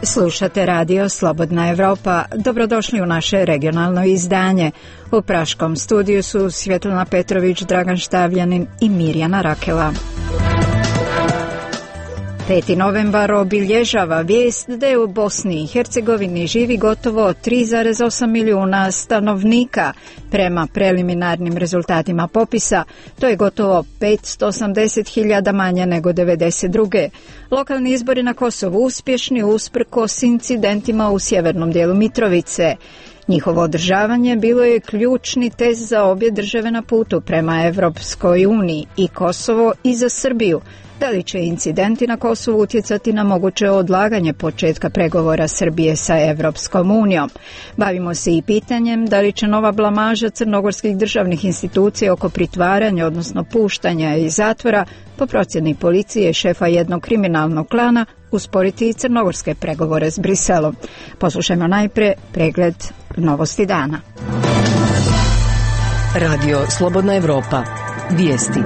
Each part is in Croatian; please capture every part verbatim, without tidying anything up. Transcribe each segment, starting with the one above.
Slušate radio Slobodna Evropa. Dobrodošli u naše regionalno izdanje. U praškom studiju su Svjetlana Petrović, Dragan Štavljanin i Mirjana Rakela. peti novembar obilježava vijest da je u Bosni i Hercegovini živi gotovo tri zarez osam milijuna stanovnika. Prema preliminarnim rezultatima popisa, to je gotovo petsto osamdeset hiljada manje nego devedeset druge. Lokalni izbori na Kosovu uspješni usprkos incidentima u sjevernom dijelu Mitrovice. Njihovo održavanje bilo je ključni test za obje države na putu prema Evropskoj uniji, i Kosovo i za Srbiju. Da li će incidenti na Kosovu utjecati na moguće odlaganje početka pregovora Srbije sa Evropskom unijom? Bavimo se i pitanjem da li će nova blamaža crnogorskih državnih institucija oko pritvaranja, odnosno puštanja iz zatvora, po procjeni policije šefa jednog kriminalnog klana, usporiti i crnogorske pregovore s Briselom. Poslušajmo najprije pregled novosti dana. Radio Slobodna Evropa. Vijesti.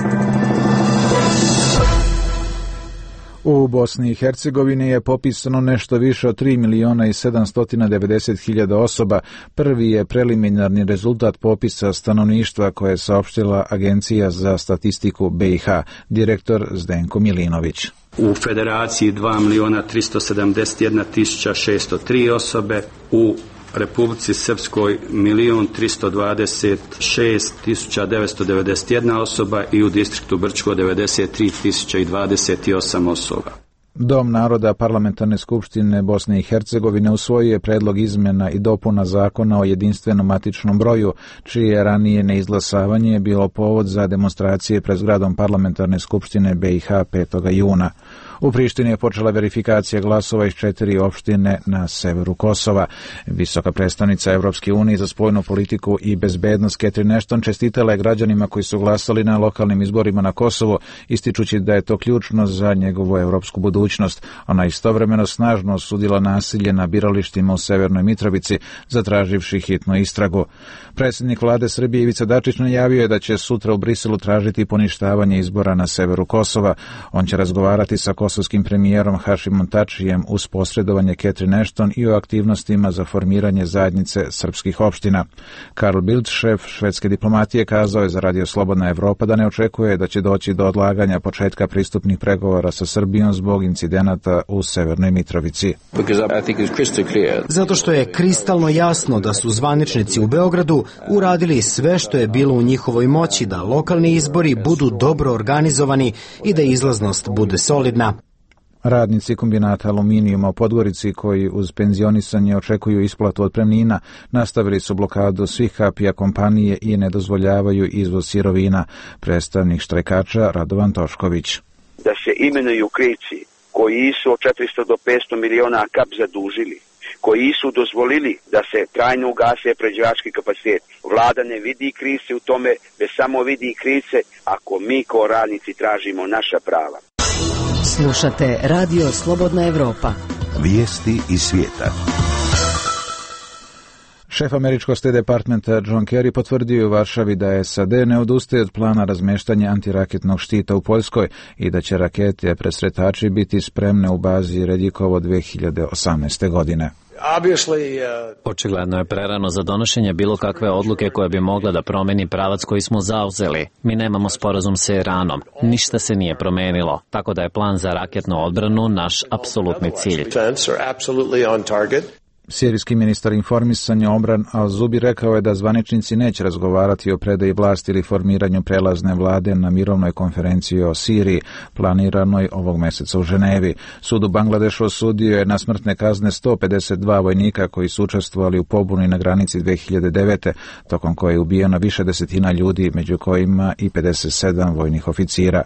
U Bosni i Hercegovini je popisano nešto više od tri milijuna i sedamsto devedeset hiljada osoba. Prvi je preliminarni rezultat popisa stanovništva koje je saopštila Agencija za statistiku B i H, direktor Zdenko Milinović. U Federaciji dva milijuna tristo sedamdeset jedna tisuća šesto tri osobe, u Republici Srpskoj milijun tristo dvadeset šest tisuća devetsto devedeset jedna osoba i u distriktu Brčko devedeset tri tisuće dvadeset osam osoba. Dom naroda Parlamentarne skupštine Bosne i Hercegovine usvojio je predlog izmjena i dopuna zakona o jedinstvenom matičnom broju, čije ranije neizglasavanje bilo povod za demonstracije pred zgradom Parlamentarne skupštine B i H petog juna. U Prištini je počela verifikacija glasova iz četiri opštine na severu Kosova. Visoka predstavnica Evropske unije za spoljnu politiku i bezbednost Catherine Ashton čestitala je građanima koji su glasali na lokalnim izborima na Kosovu, ističući da je to ključno za njegovu evropsku budućnost. Ona istovremeno snažno osudila nasilje na biralištima u Severnoj Mitrovici, zatraživši hitnu istragu. Predsjednik vlade Srbije Ivica Dačić najavio je da će sutra u Briselu tražiti poništavanje izbora na severu Kosova. On će razgovarati sa kosovskim premijerom Hašimom Tačijem uz posredovanje Catherine Ashton i o aktivnostima za formiranje zajednice srpskih opština. Carl Bildt, šef švedske diplomatije, kazao je za Radio Slobodna Evropa da ne očekuje da će doći do odlaganja početka pristupnih pregovora sa Srbijom zbog incidenata u Severnoj Mitrovici. Zato što je kristalno jasno da su zvaničnici u Beogradu uradili sve što je bilo u njihovoj moći da lokalni izbori budu dobro organizovani i da izlaznost bude solidna. Radnici kombinata aluminijuma u Podgorici, koji uz penzionisanje očekuju isplatu otpremnina, nastavili su blokadu svih kapija kompanije i ne dozvoljavaju izvoz sirovina. Predstavnik štrajkača Radovan Tošković. Da se imenuju krivci koji su od četiristo do petsto miliona kap zadužili, koji su dozvolili da se trajno ugase prerađivački kapacitet. Vlada ne vidi krivce u tome, već samo vidi krivce ako mi kao radnici tražimo naša prava. Slušate Radio Slobodna Evropa. Vijesti iz svijeta. Šef američkog State Departmenta John Kerry potvrdio u Varšavi da S A D ne odustaje od plana razmeštanja antiraketnog štita u Poljskoj i da će rakete presretači biti spremne u bazi Redjikovo dve hiljade osamnaeste. godine. Očigledno je prerano za donošenje bilo kakve odluke koja bi mogla da promeni pravac koji smo zauzeli. Mi nemamo sporazum sa Iranom. Ništa se nije promenilo, tako da je plan za raketnu odbranu naš apsolutni cilj. Sirijski ministar informisanja Omran Al-Zubi rekao je da zvaničnici neće razgovarati o predaji vlasti ili formiranju prelazne vlade na mirovnoj konferenciji o Siriji, planiranoj ovog mjeseca u Ženevi. Sud u Bangladešu osudio je na smrtne kazne sto pedeset dva vojnika koji su učestvovali u pobuni na granici dve hiljade devete. tokom koje je ubijeno više desetina ljudi, među kojima i pedeset sedam vojnih oficira.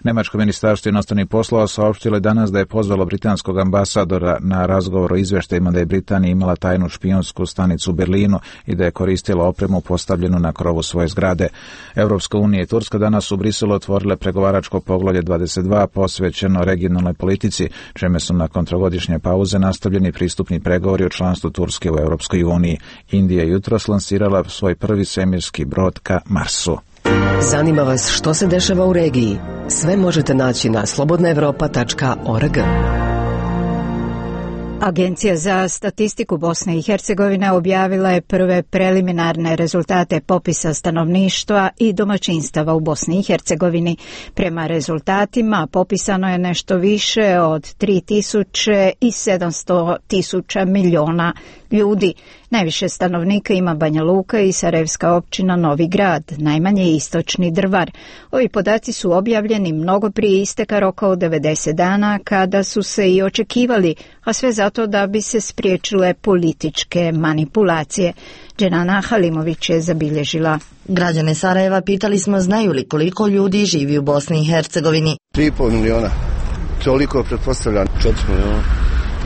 Nemačko ministarstvo inostranih poslova saopštilo je danas da je pozvalo britanskog ambasadora na razgovor o izveštajima da je Britanija imala tajnu špijunsku stanicu u Berlinu i da je koristila opremu postavljenu na krovu svoje zgrade. Evropska unija i Turska danas u Briselu otvorile pregovaračko poglavlje dvadeset dva posvećeno regionalnoj politici, čime su nakon trogodišnje pauze nastavljeni pristupni pregovori o članstvu Turske u Evropskoj uniji. Indija je jutros lansirala svoj prvi svemirski brod ka Marsu. Zanima vas što se dešava u regiji? Sve možete naći na slobodna evropa tačka org. Agencija za statistiku Bosne i Hercegovine objavila je prve preliminarne rezultate popisa stanovništva i domaćinstava u Bosni i Hercegovini. Prema rezultatima popisano je nešto više od tri tisuće sedamsto tisuća miliona ljudi. Najviše stanovnika ima Banja Luka i Sarajevska općina Novi Grad, najmanje istočni Drvar. Ovi podaci su objavljeni mnogo prije isteka roka od devedeset dana, kada su se i očekivali, a sve zato da bi se spriječile političke manipulacije. Dženana Halimović je zabilježila. Građane Sarajeva pitali smo znaju li koliko ljudi živi u Bosni i Hercegovini. tri i pol miliona. Toliko pretpostavljam. četiri miliona.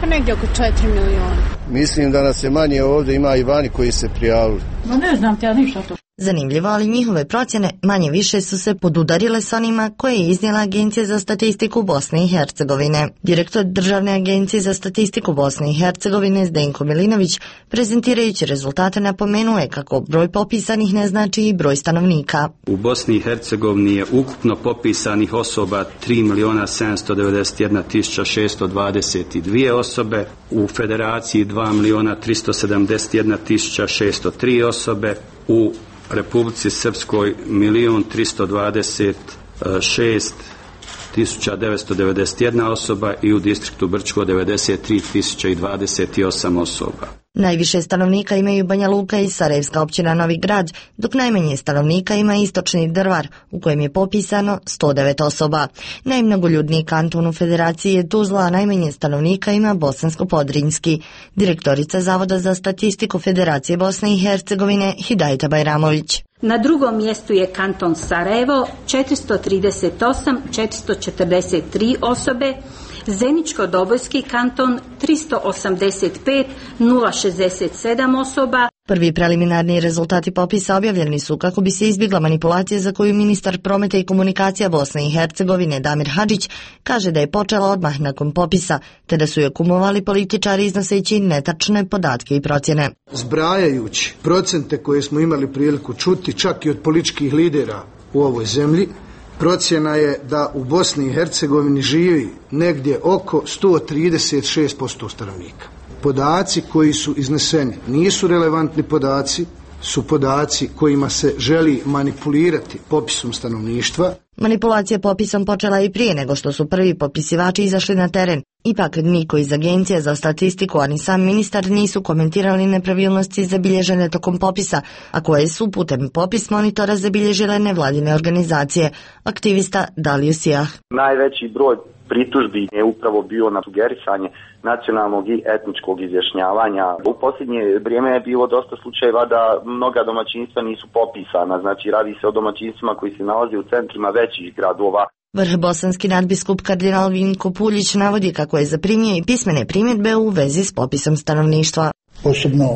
Pa negdje oko četiri miliona. Mislim da nas je manje ovdje, ima i vani koji se prijavili. No ne znam ti ja ništa to. Zanimljivo, ali njihove procjene manje više su se podudarile s onima koje je iznijela Agencija za statistiku Bosne i Hercegovine. Direktor Državne agencije za statistiku Bosne i Hercegovine Zdenko Milinović, prezentirajući rezultate, napomenuo je kako broj popisanih ne znači i broj stanovnika. U Bosni i Hercegovini je ukupno popisanih osoba tri miliona sedamsto devedeset jedna tisuća šesto dvadeset dvije osobe, u Federaciji dva miliona tristo sedamdeset jedna tisuća šesto tri osobe, u Republici Srpskoj milion tristo dvadeset šest tisuća devetsto devedeset jedna osoba i u distriktu Brčko devedeset tri tisuće dvadeset osam osoba. Najviše stanovnika imaju Banja Luka i Sarajevska općina Novi Grad, dok najmanje stanovnika ima istočni Drvar, u kojem je popisano sto devet osoba. Najmnogoljudniji kanton u Federaciji je Tuzla, a najmanje stanovnika ima Bosansko-Podrinjski. Direktorica Zavoda za statistiku Federacije Bosne i Hercegovine Hidajeta Bajramović. Na drugom mjestu je kanton Sarajevo, četiristo trideset osam hiljada četiristo četrdeset tri osobe, Zeničko-Dobojski kanton tristo osamdeset pet hiljada šezdeset sedam osoba. Prvi preliminarni rezultati popisa objavljeni su kako bi se izbjegla manipulacija za koju ministar prometa i komunikacija Bosne i Hercegovine Damir Hadžić kaže da je počela odmah nakon popisa, te da su je kumovali političari iznoseći netačne podatke i procjene. Zbrajajući procente koje smo imali priliku čuti čak i od političkih lidera u ovoj zemlji, procjena je da u Bosni i Hercegovini živi negdje oko sto trideset šest posto stanovnika. Podaci koji su izneseni nisu relevantni podaci, su podaci kojima se želi manipulirati popisom stanovništva. Manipulacija popisom počela je i prije nego što su prvi popisivači izašli na teren. Ipak niko iz Agencije za statistiku, a ni sam ministar nisu komentirali nepravilnosti zabilježene tokom popisa, a koje su putem popis monitora zabilježile nevladine organizacije. Aktivista Dalio Sijah. Najveći broj pritužbi je upravo bio na sugerisanje nacionalnog i etničkog izjašnjavanja. U posljednje vrijeme je bilo dosta slučajeva da mnoga domaćinstva nisu popisana, znači radi se o domaćinstvima koji se nalaze u centrima većih gradova. Vrh bosanski nadbiskup kardinal Vinko Puljić navodi kako je zaprimio i pismene primjedbe u vezi s popisom stanovništva. Posebno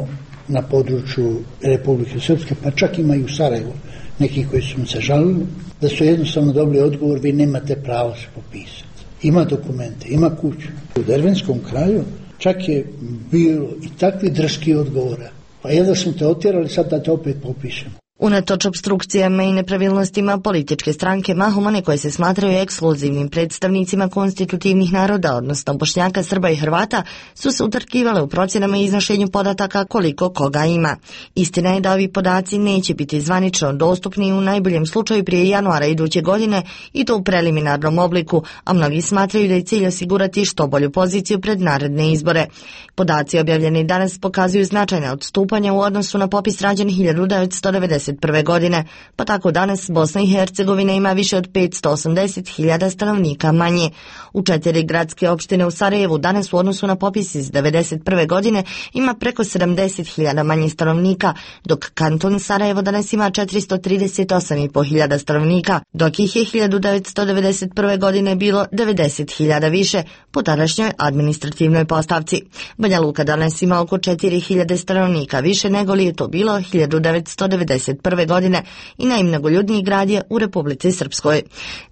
na području Republike Srpske, pa čak ima i u Sarajevu neki koji su mi se žalili, da su jednostavno dobili odgovor, vi nemate pravo se popisati. Ima dokumente, ima kuću. U Dervenskom kraju čak je bilo i takvi drski odgovora. Pa jedva smo te otjerali, sad da te opet popišemo. Unatoč opstrukcijama i nepravilnostima, političke stranke, mahom one koje se smatraju ekskluzivnim predstavnicima konstitutivnih naroda, odnosno Bošnjaka, Srba i Hrvata, su se utrkivale u procjenama i iznošenju podataka koliko koga ima. Istina je da ovi podaci neće biti zvanično dostupni u najboljem slučaju prije januara iduće godine i to u preliminarnom obliku, a mnogi smatraju da je cilj osigurati što bolju poziciju pred naredne izbore. Podaci objavljeni danas pokazuju značajna odstupanja u odnosu na popis rađen hiljadu devetsto devedeset prve godine, pa tako danas Bosna i Hercegovina ima više od petsto osamdeset hiljada stanovnika manje. U četiri gradske opštine u Sarajevu danas u odnosu na popis iz devedeset prve godine ima preko sedamdeset hiljada manje stanovnika, dok kanton Sarajevo danas ima četiristo trideset osam i pol hiljada stanovnika, dok ih je hiljadu devetsto devedeset prve godine bilo devedeset hiljada više po tadašnjoj administrativnoj postavci. Banja Luka danas ima oko četiri hiljade stanovnika više nego li je to bilo hiljadu devetsto devedeset prve godine i najmnogoljudniji grad je u Republici Srpskoj.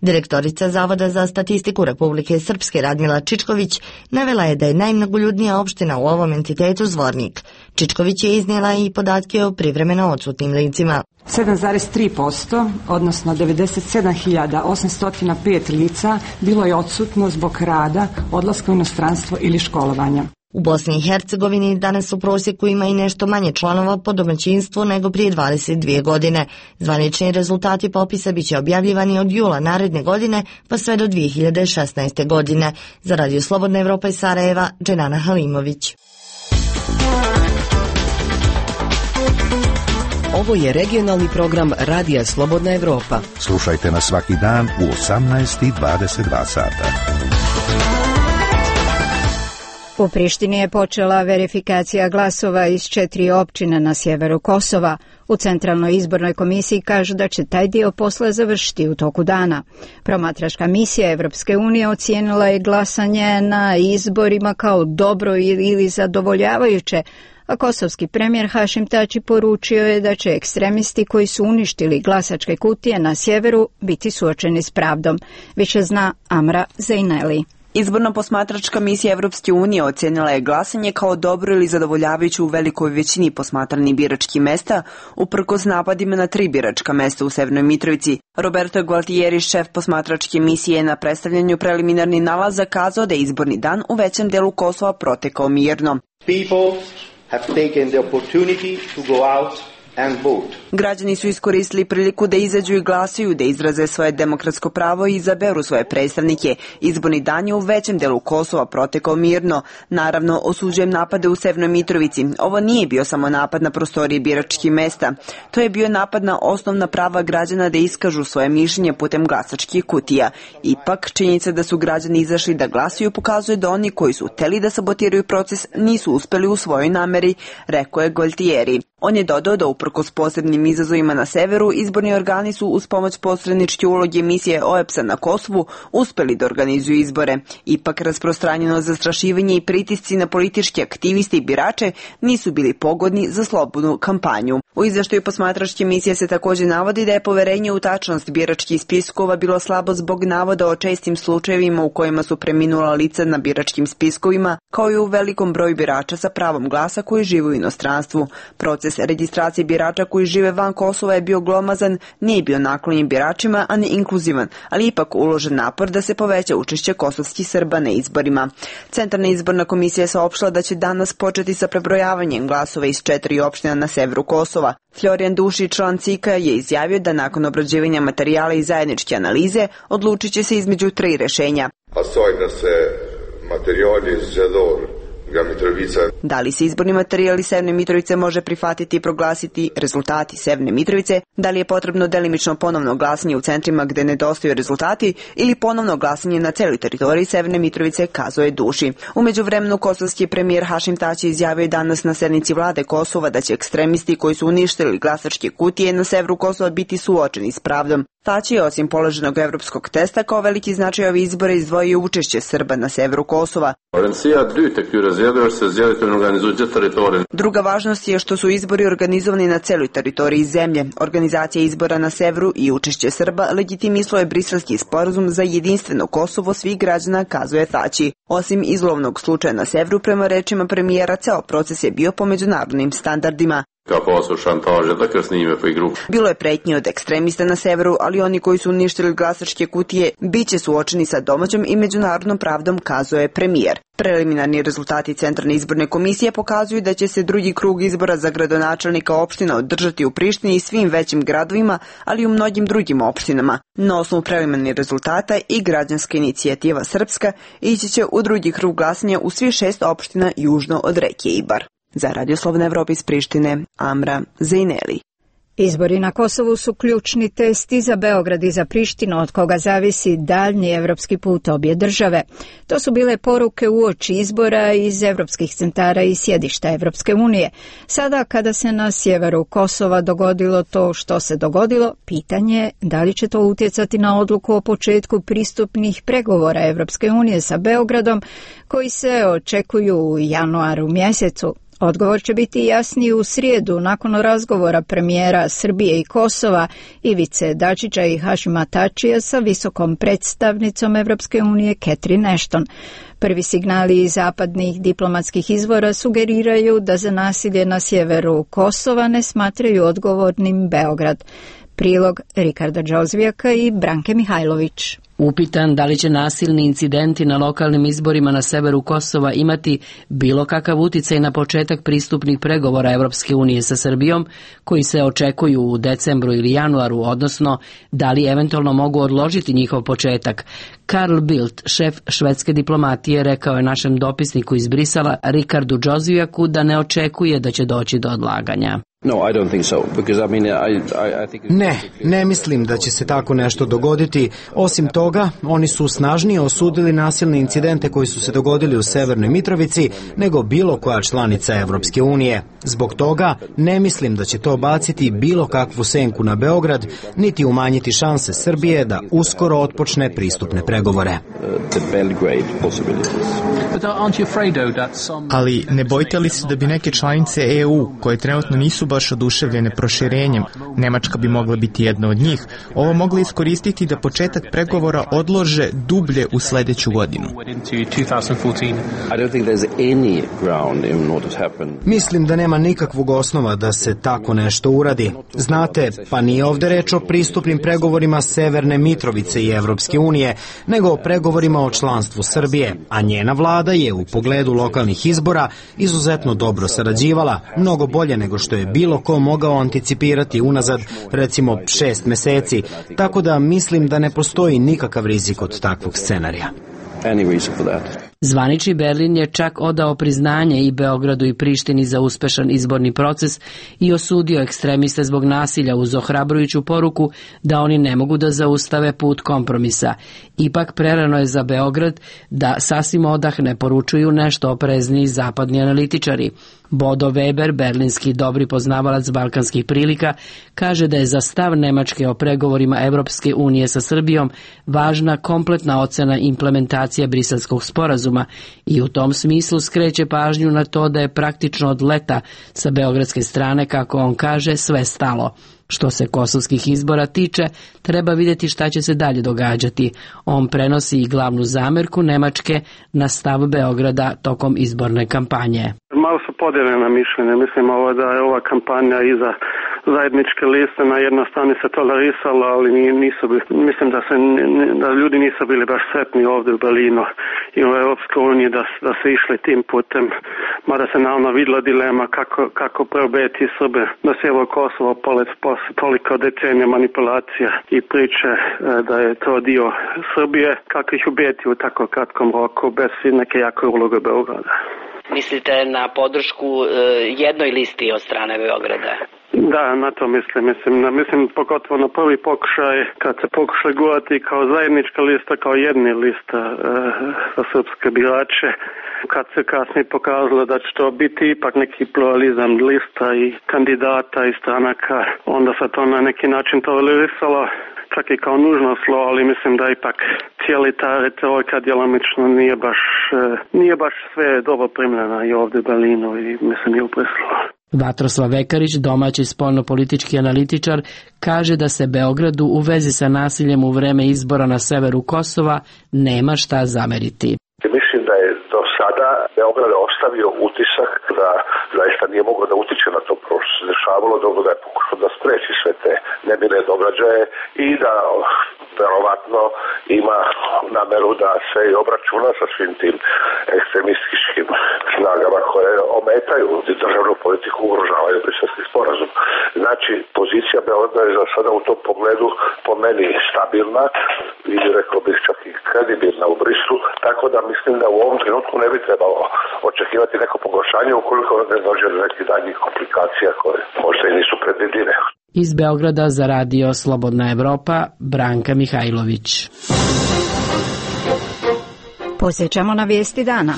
Direktorica Zavoda za statistiku Republike Srpske Radmila Čičković navela je da je najmnogoljudnija opština u ovom entitetu Zvornik. Čičković je iznijela i podatke o privremeno odsutnim licima. sedam zarez tri posto, odnosno devedeset sedam hiljada osamsto pet lica bilo je odsutno zbog rada, odlaska u inostranstvo ili školovanja. U Bosni i Hercegovini danas u prosjeku ima i nešto manje članova po domaćinstvu nego prije dvadeset dvije godine. Zvanični rezultati popisa biće objavljivani od jula naredne godine pa sve do dvije hiljade šesnaeste. godine. Za Radio Slobodna Evropa iz Sarajeva, Dženana Halimović. Ovo je regionalni program Radija Slobodna Evropa. Slušajte nas svaki dan u osamnaest i dvadeset dva sata. U Prištini je počela verifikacija glasova iz četiri općine na sjeveru Kosova. U Centralnoj izbornoj komisiji kažu da će taj dio posla završiti u toku dana. Promatračka misija Evropske unije ocijenila je glasanje na izborima kao dobro ili zadovoljavajuće, a kosovski premijer Hašim Tači poručio je da će ekstremisti koji su uništili glasačke kutije na sjeveru biti suočeni s pravdom. Više zna Amra Zejneli. Izborno posmatračka misija Evropske unije ocijenila je glasanje kao dobro ili zadovoljavajuće u velikoj većini posmatranih biračkih mesta, uprkos napadima na tri biračka mesta u Severnoj Mitrovici. Roberto Gualtieri, šef posmatračke misije, na predstavljanju preliminarnih nalaza kazao da je izborni dan u većem delu Kosova protekao mirno. People have taken the opportunity to go out and vote. Građani su iskoristili priliku da izađu i glasuju, da izraze svoje demokratsko pravo i izaberu svoje predstavnike. Izborni dan je u većem delu Kosova protekao mirno. Naravno, osuđujem napade u Severnoj Mitrovici. Ovo nije bio samo napad na prostorije biračkih mesta. To je bio napad na osnovna prava građana da iskažu svoje mišljenje putem glasačkih kutija. Ipak, činjenica da su građani izašli da glasuju pokazuje da oni koji su hteli da sabotiraju proces nisu uspeli u svojoj nameri, rekao je Gualtieri. On je dodao da uprkos posebnim izazovima na severu, izborni organi su uz pomoć posredničke uloge misije O E B S-a na Kosovu uspeli da organizuju izbore. Ipak rasprostranjeno zastrašivanje i pritisci na političke aktiviste i birače nisu bili pogodni za slobodnu kampanju. U izveštaju posmatračke misije se također navodi da je poverenje u tačnost biračkih spiskova bilo slabo zbog navoda o čestim slučajevima u kojima su preminula lica na biračkim spiskovima, kao i u velikom broju birača sa pravom glasa koji žive u inostranstvu. Proces registracije birača koji žive van Kosova je bio glomazan, nije bio naklonjen biračima, a ne inkluzivan, ali ipak uložen napor da se poveća učešće kosovskih Srba na izborima. Centralna izborna komisija je saopštila da će danas početi sa prebrojavanjem glasova iz četiri opština na severu Kosova. Florijan Dušić, član C I K-a, je izjavio da nakon obrađivanja materijala i zajedničke analize odlučit će se između tri rešenja. Da se materijali iz Mitrovica. Da li se izborni materijali Severne Mitrovice može prihvatiti i proglasiti rezultati Severne Mitrovice? Da li je potrebno delimično ponovno glasanje u centrima gde nedostaju rezultati ili ponovno glasanje na celoj teritoriji Severne Mitrovice, kazao je Duši. U međuvremenu kosovski premijer Hašim Tači izjavio danas na sednici vlade Kosova da će ekstremisti koji su uništili glasačke kutije na severu Kosova biti suočeni s pravdom. Tači je osim položenog evropskog testa kao veliki značaj ove izbore izdvojio učešće Srba na severu Kosova. Druga važnost je što su izbori organizovani na celoj teritoriji zemlje. Organizacija izbora na severu i učešće Srba legitimisalo je Briselski sporazum za jedinstveno Kosovo svih građana, kazuje Tači. Osim izlovnog slučaja na severu, prema rečima premijera, ceo proces je bio po međunarodnim standardima. Bilo je pretnje od ekstremista na severu, ali oni koji su uništili glasačke kutije biće suočeni sa domaćom i međunarodnom pravdom, kazuje premijer. Preliminarni rezultati Centralne izborne komisije pokazuju da će se drugi krug izbora za gradonačelnika opština održati u Prištini i svim većim gradovima, ali i u mnogim drugim opštinama. Na osnovu preliminarnih rezultata i građanska inicijativa Srpska ići će u drugi krug glasanja u svih šest opština južno od reke Ibar. Za Radio Slobodna Evropa iz Prištine, Amra Zejneli. Izbori na Kosovu su ključni test i za Beograd i za Prištinu, od koga zavisi daljnji evropski put obje države. To su bile poruke uoči izbora iz evropskih centara i sjedišta Evropske unije. Sada, kada se na sjeveru Kosova dogodilo to što se dogodilo, pitanje je da li će to utjecati na odluku o početku pristupnih pregovora Evropske unije sa Beogradom, koji se očekuju u januaru mjesecu. Odgovor će biti jasniji u srijedu nakon razgovora premijera Srbije i Kosova Ivice Dačića i Hašima Tačija sa visokom predstavnicom Evropske unije Catherine Ashton. Prvi signali iz zapadnih diplomatskih izvora sugeriraju da za nasilje na sjeveru Kosova ne smatraju odgovornim Beograd. Prilog Rikarda Đozvijaka i Branke Mihajlović. Upitan da li će nasilni incidenti na lokalnim izborima na severu Kosova imati bilo kakav uticaj na početak pristupnih pregovora Evropske unije sa Srbijom, koji se očekuju u decembru ili januaru, odnosno da li eventualno mogu odložiti njihov početak, Carl Bildt, šef švedske diplomatije, rekao je našem dopisniku iz Brisela, Rikardu Džozijaku, da ne očekuje da će doći do odlaganja. No, I don't think so, because I mean, I, I, I think ne, ne mislim da će se tako nešto dogoditi. Osim toga, oni su snažnije osudili nasilne incidente koji su se dogodili u Severnoj Mitrovici nego bilo koja članica Evropske unije. Zbog toga ne mislim da će to baciti bilo kakvu senku na Beograd, niti umanjiti šanse Srbije da uskoro otpočne pristupne pregovore. Ali ne bojite li se da bi neke članice E U, koje trenutno nisu baš oduševljene proširenjem, Nemačka bi mogla biti jedna od njih, ovo mogli iskoristiti da početak pregovora odlože dublje u sledeću godinu? Mislim da nema nikakvog osnova da se tako nešto uradi. Znate, pa nije ovde reč o pristupnim pregovorima Severne Mitrovice i Evropske unije, nego o pregovorima o članstvu Srbije, a njena vlada je u pogledu lokalnih izbora izuzetno dobro sarađivala, mnogo bolje nego što je bilo ko mogao anticipirati unazad, recimo, šest meseci, tako da mislim da ne postoji nikakav rizik od takvog scenarija. Zvanični Berlin je čak odao priznanje i Beogradu i Prištini za uspešan izborni proces i osudio ekstremiste zbog nasilja uz ohrabrujuću poruku da oni ne mogu da zaustave put kompromisa. Ipak prerano je za Beograd da sasvim odahne, poručuju nešto oprezniji zapadni analitičari. Bodo Weber, berlinski dobri poznavalac balkanskih prilika, kaže da je za stav Nemačke o pregovorima Evropske unije sa Srbijom važna kompletna ocena implementacije Briselskog sporazuma i u tom smislu skreće pažnju na to da je praktično od leta sa beogradske strane, kako on kaže, sve stalo. Što se kosovskih izbora tiče, treba vidjeti šta će se dalje događati. On prenosi i glavnu zamerku Nemačke na stav Beograda tokom izborne kampanje. Malo su podijeljena mišljenja. Mislim ovo da je ova kampanja iza zajedničke liste na jednoj strani se tolerisala, ali nisu, mislim da, se, da ljudi nisu bili baš sretni ovdje u Berlinu i u Europskoj uniji da, da se išli tim putem, mada se naravno vidjela dilema kako, kako preobeti Srbe na sjever Kosovo polet posle toliko decenija manipulacija i priče da je to dio Srbije, kako ih ubijeti u tako kratkom roku bez neke jake uloge Beograda. Mislite na podršku e, jednoj listi od strane Beograda? Da, na to mislim. Mislim, na, mislim pogotovo na prvi pokušaj, kad se pokušali gurati kao zajednička lista, kao jedni lista e, za srpske birače, kad se kasnije pokazalo da će to biti ipak neki pluralizam lista i kandidata i stranaka, onda se to na neki način tolerisalo, čak i kao nužno slo, ali mislim da ipak cijeli ta retorika djelomično nije baš, nije baš sve dobro primljena i ovdje u Berlinu i mislim i u Briselu. Vatroslav Vekarić, domaći spoljnopolitički analitičar, kaže da se Beogradu u vezi sa nasiljem u vreme izbora na severu Kosova nema šta zameriti. Mislim da je do sada Beograd ostavio utisak da zaista nije mogao da utiče na to što se dešavalo, dobro da je pokušao da spreči sve te nemile događaje i da verovatno ima nameru da se i obračuna sa svim tim ekstremističkim snagama koje ometaju državnu politiku, ugrožavaju Briselski sporazum. Znači, pozicija Beograda je za sada u tom pogledu po meni stabilna i rekao bih čak i kredibilna u Brislu, tako da mislim da u ovom trenutku ne bi trebalo očekivati neko pogoršanje ukoliko ne dođe do nekih daljnjih komplikacija koje možda i nisu predvidljive. Iz Beograda za radio Slobodna Evropa, Branka Mihajlović. Posjećamo na vijesti dana.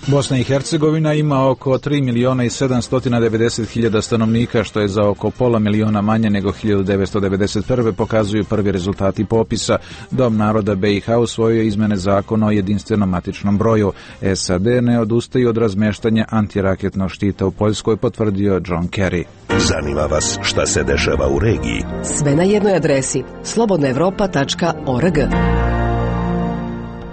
Bosna i Hercegovina ima oko tri miliona i sedamsto devedeset hiljada stanovnika, što je za oko pola miliona manje nego hiljadu devetsto devedeset prve. pokazuju prvi rezultati popisa. Dom naroda B i H usvojio izmene zakona o jedinstvenom matičnom broju. S A D ne odustaju od razmeštanja antiraketnog štita u Poljskoj, potvrdio John Kerry. Zanima vas šta se dešava u regiji? Sve na jednoj adresi slobodna evropa tačka org.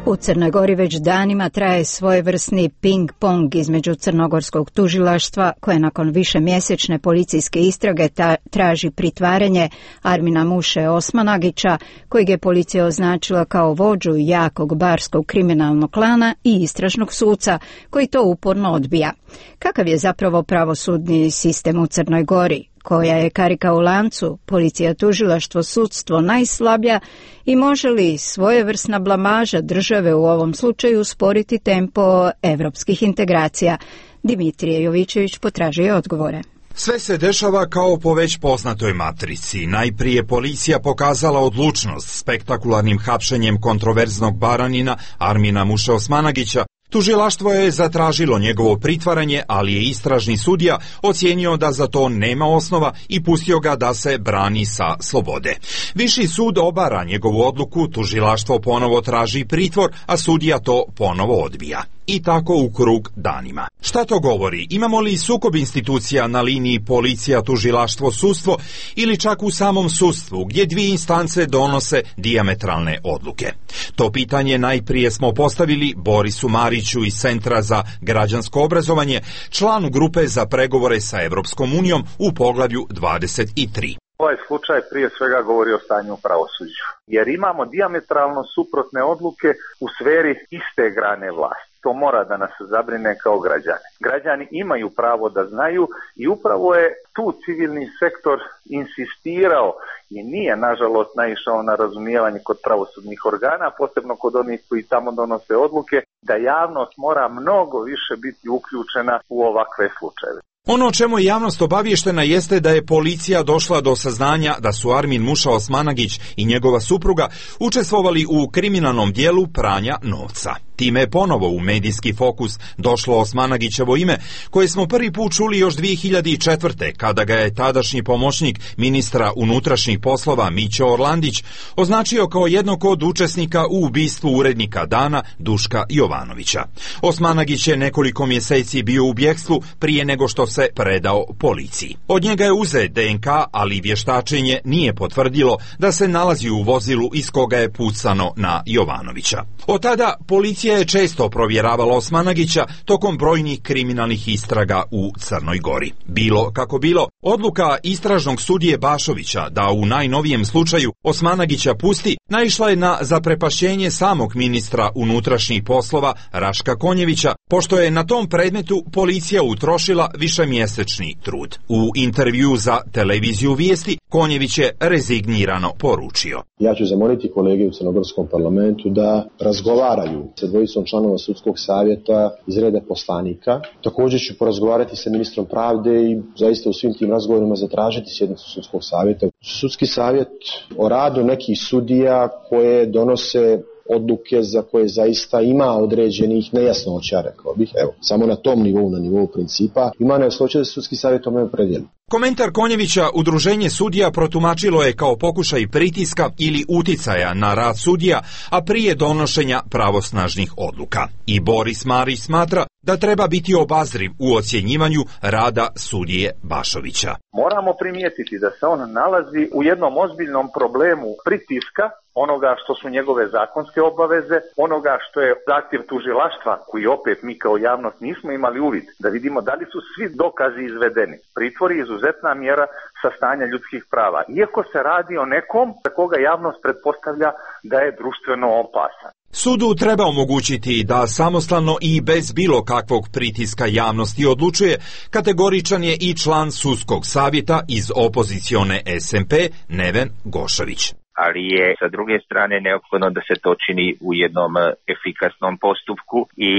U Crnoj Gori već danima traje svojevrsni ping-pong između crnogorskog tužilaštva, koje nakon višemjesečne policijske istrage ta, traži pritvaranje Armina Muše Osmanagića, kojeg je policija označila kao vođu jakog barskog kriminalnog klana, i istražnog suca, koji to uporno odbija. Kakav je zapravo pravosudni sistem u Crnoj Gori? Koja je karika u lancu, policija, tužilaštvo, sudstvo najslabija i može li svojevrsna blamaža države u ovom slučaju usporiti tempo evropskih integracija? Dimitrije Jovićević potražuje odgovore. Sve se dešava kao po već poznatoj matrici. Najprije policija pokazala odlučnost spektakularnim hapšenjem kontroverznog baranina Armina Muše Osmanagića. Tužilaštvo je zatražilo njegovo pritvaranje, ali je istražni sudija ocijenio da za to nema osnova i pustio ga da se brani sa slobode. Viši sud obara njegovu odluku, tužilaštvo ponovo traži pritvor, a sudija to ponovo odbija. I tako u krug danima. Šta to govori? Imamo li sukob institucija na liniji policija, tužilaštvo, sudstvo ili čak u samom sudstvu, gdje dvije instance donose dijametralne odluke? To pitanje najprije smo postavili Borisu Mariću iz Centra za građansko obrazovanje, članu grupe za pregovore sa Evropskom unijom u poglavlju dvadeset tri. Ovaj slučaj prije svega govori o stanju u pravosuđu, jer imamo dijametralno suprotne odluke u sferi iste grane vlasti. To mora da nas zabrine kao građane. Građani imaju pravo da znaju i upravo je tu civilni sektor insistirao i nije nažalost naišao na razumijevanje kod pravosudnih organa, posebno kod onih koji tamo donose odluke, da javnost mora mnogo više biti uključena u ovakve slučajeve. Ono o čemu je javnost obavještena jeste da je policija došla do saznanja da su Armin Muša Osmanagić i njegova supruga učestvovali u kriminalnom dijelu pranja novca. Time je ponovo u medijski fokus došlo Osmanagićevo ime, koje smo prvi put čuli još dvije hiljade četvrte. kada ga je tadašnji pomoćnik ministra unutrašnjih poslova Mićo Orlandić označio kao jednog od učesnika u ubistvu urednika Dana Duška Jovanovića. Osmanagić je nekoliko mjeseci bio u bjegstvu prije nego što se predao policiji. Od njega je uzet D N K, ali vještačenje nije potvrdilo da se nalazi u vozilu iz koga je pucano na Jovanovića. Od tada policija je često provjeravala Osmanagića tokom brojnih kriminalnih istraga u Crnoj Gori. Bilo kako bilo, odluka istražnog sudije Bašovića da u najnovijem slučaju Osmanagića pusti naišla je na zaprepašćenje samog ministra unutrašnjih poslova Raška Konjevića, pošto je na tom predmetu policija utrošila višemjesečni trud. U intervju za televiziju Vijesti Konjević je rezignirano poručio: Ja ću zamoliti kolege u Crnogorskom parlamentu da razgovaraju sa dvojicom članova sudskog savjeta iz reda poslanika. Također ću porazgovarati sa ministrom pravde i zaista u svim tim razgovorima zatražiti sjednicu sudskog savjeta. Sudski savjet o radu nekih sudija koje donose odluke za koje zaista ima određenih nejasnoća, rekao bih, evo, samo na tom nivou, na nivou principa, ima nejasnoća da se sudski savjet tome opredijeli. Komentar Konjevića udruženje sudija protumačilo je kao pokušaj pritiska ili uticaja na rad sudija, a prije donošenja pravosnažnih odluka. I Boris Marić smatra da treba biti obazriv u ocjenjivanju rada sudije Bašovića. Moramo primijetiti da se on nalazi u jednom ozbiljnom problemu pritiska, onoga što su njegove zakonske obaveze, onoga što je zahtjev tužilaštva, koji opet mi kao javnost nismo imali uvid, da vidimo da li su svi dokazi izvedeni. Pritvor je izuzetna mjera sa stanja ljudskih prava, iako se radi o nekom za koga javnost pretpostavlja da je društveno opasan. Sudu treba omogućiti da samostalno i bez bilo kakvog pritiska javnosti odlučuje. Kategoričan je i član sudskog savjeta iz opozicione S M P Neven Gošović. Ali je sa druge strane neophodno da se to čini u jednom efikasnom postupku i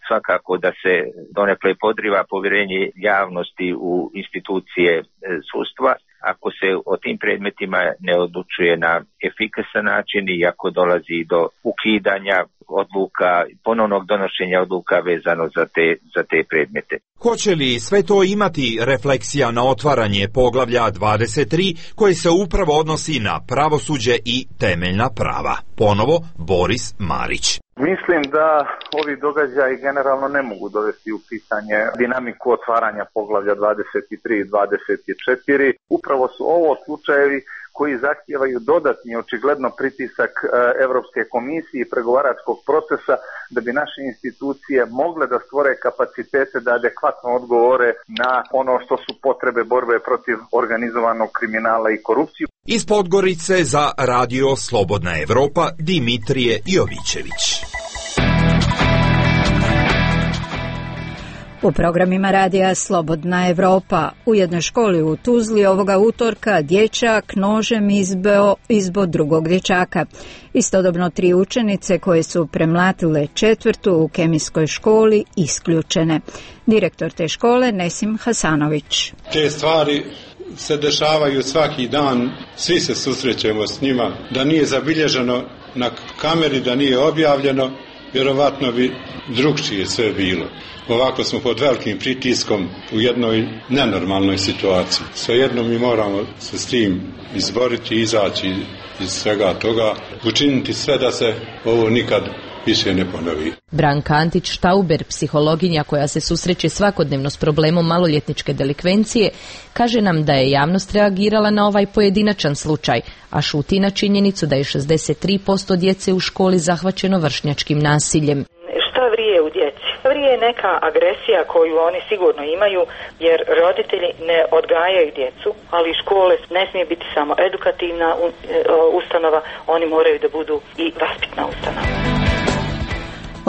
svakako da se donekle podriva povjerenje javnosti u institucije sudstva ako se o tim predmetima ne odlučuje na efikasan način i ako dolazi do ukidanja odluka, ponovnog donošenja odluka vezano za te, za te predmete. Hoće li sve to imati refleksija na otvaranje poglavlja dvadeset tri koje se upravo odnosi na pravosuđe i temeljna prava? Ponovo Boris Marić. Mislim da ovi događaji generalno ne mogu dovesti u pitanje dinamiku otvaranja poglavlja dvadeset tri i dvadeset četiri. Upravo su ovo slučajevi koji zahtijevaju dodatni očigledno pritisak Europske komisije i pregovaračkog procesa da bi naše institucije mogle da stvore kapacitete da adekvatno odgovore na ono što su potrebe borbe protiv organizovanog kriminala i korupciju. Iz Podgorice za Radio Slobodna Evropa Dimitrije Jovićević. U programima radija Slobodna Evropa u jednoj školi u Tuzli ovoga utorka dječak nožem izbeo izbod drugog dječaka. Istodobno tri učenice koje su premlatile četvrtu u kemijskoj školi isključene. Direktor te škole Nesim Hasanović. Te stvari se dešavaju svaki dan, svi se susrećemo s njima. Da nije zabilježeno na kameri, da nije objavljeno, vjerovatno bi drugčije sve bilo. Ovako smo pod velikim pritiskom u jednoj nenormalnoj situaciji. Svejedno mi moramo se s tim izboriti, izaći iz svega toga, učiniti sve da se ovo nikad više ne ponovi. Branka Antić-Štauber, psihologinja koja se susreće svakodnevno s problemom maloljetničke delikvencije, kaže nam da je javnost reagirala na ovaj pojedinačan slučaj, a šuti na činjenicu da je šezdeset tri posto djece u školi zahvaćeno vršnjačkim nasiljem. Šta vrije u djeci? Vrije je neka agresija koju oni sigurno imaju, jer roditelji ne odgajaju djecu, ali škole ne smije biti samo edukativna ustanova, oni moraju da budu i vaspitna ustanova.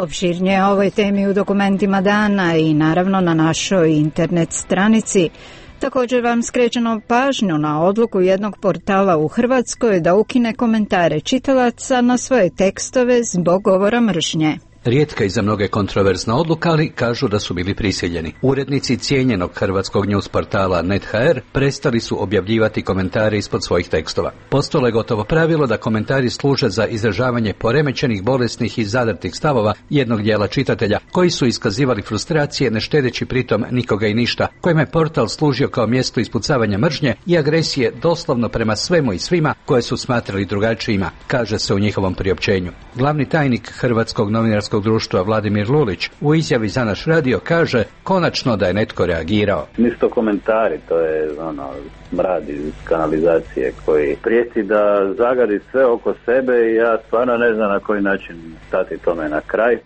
Opširnije o ovoj temi u dokumentima dana i naravno na našoj internet stranici. Također vam skrećemo pažnju na odluku jednog portala u Hrvatskoj da ukine komentare čitalaca na svoje tekstove zbog govora mržnje. Rijetka i za mnoge kontroverzna odluka, ali kažu da su bili prisiljeni. Urednici cijenjenog hrvatskog news portala net ha er prestali su objavljivati komentare ispod svojih tekstova. Postalo je gotovo pravilo da komentari služe za izražavanje poremećenih, bolesnih i zadrtih stavova jednog dijela čitatelja, koji su iskazivali frustracije ne štedeći pritom nikoga i ništa, kojima je portal služio kao mjesto ispucavanja mržnje i agresije doslovno prema svemu i svima koje su smatrali drugačijima, kaže se u njihovom priopćenju. Glavni tajnik Hrvatskog novinarskog društva Vladimir Lulić u izjavi za naš radio kaže konačno da je netko reagirao. Nisu to komentari, to je ono mrad iz kanalizacije koji prijeti da zagadi sve oko sebe i ja stvarno ne znam na koji način stati tome na kraj.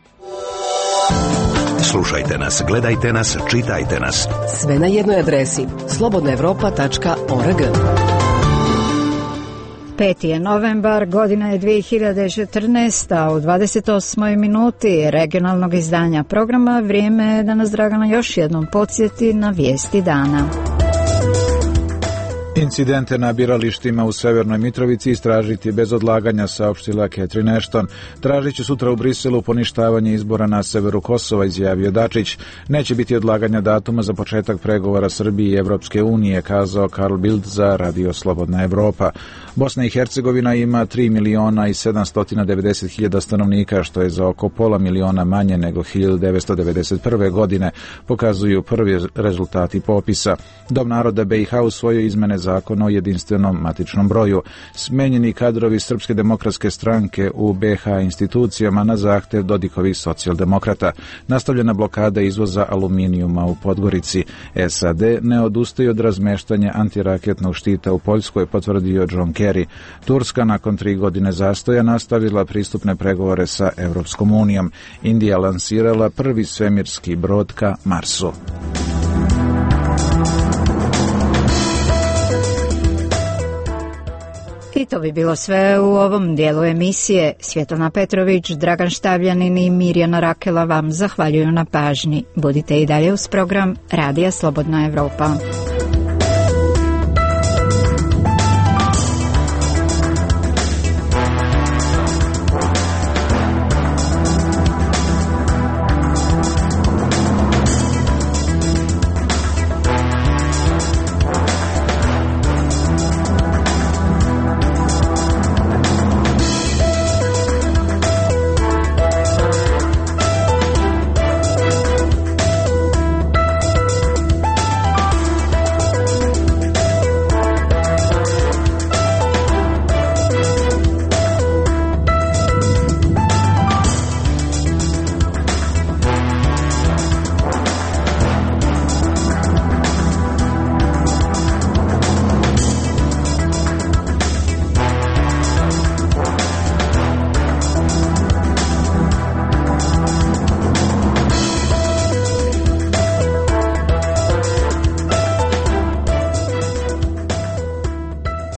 Slušajte nas, gledajte nas, čitajte nas. Sve na jednoj adresi slobodna evropa tačka org. peti je novembar, godina je dvije hiljade četrnaesta, u dvadeset osmoj minuti regionalnog izdanja programa vrijeme je da nas Dragana još jednom podsjeti na vijesti dana. Incidente na biralištima u Severnoj Mitrovici istražiti bez odlaganja, saopštila Catherine Ashton. Tražit će sutra u Briselu poništavanje izbora na severu Kosova, izjavio Dačić. Neće biti odlaganja datuma za početak pregovora Srbije i Evropske unije, kazao Karl Bildt za Radio Slobodna Evropa. Bosna i Hercegovina ima tri miliona i sedamsto devedeset hiljada stanovnika, što je za oko pola miliona manje nego hiljadu devetsto devedeset prve. godine, pokazuju prvi rezultati popisa. Dom naroda be i ha usvojio izmene zakona o jedinstvenom matičnom broju. Smenjeni kadrovi Srpske demokratske stranke u be ha institucijama na zahtev Dodikovih socijaldemokrata. Nastavljena blokada izvoza aluminijuma u Podgorici. es a de ne odustaje od razmeštanja antiraketnog štita u Poljskoj, potvrdio John Kerry. Turska nakon tri godine zastoja nastavila pristupne pregovore sa Evropskom unijom. Indija lansirala prvi svemirski brod ka Marsu. I to bi bilo sve u ovom dijelu emisije. Svjetlana Petrović, Dragan Štavljanin i Mirjana Rakela vam zahvaljuju na pažnji. Budite i dalje uz program Radija Slobodna Evropa.